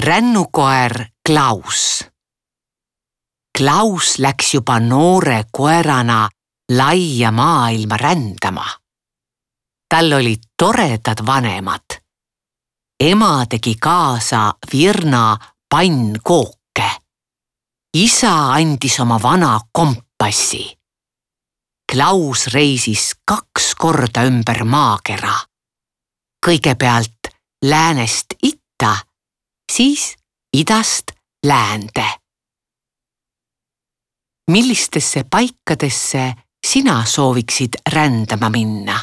Rännukoer Klaus. Klaus läks juba noore koerana laia maailma rändama. Tal olid toredad vanemad. Ema tegi kaasa virna pannkooke. Isa andis oma vana kompassi. Klaus reisis 2 korda ümber maakera. Kõigepealt läänest itta, siis idast läände. Millistesse paikadesse sina sooviksid rändama minna?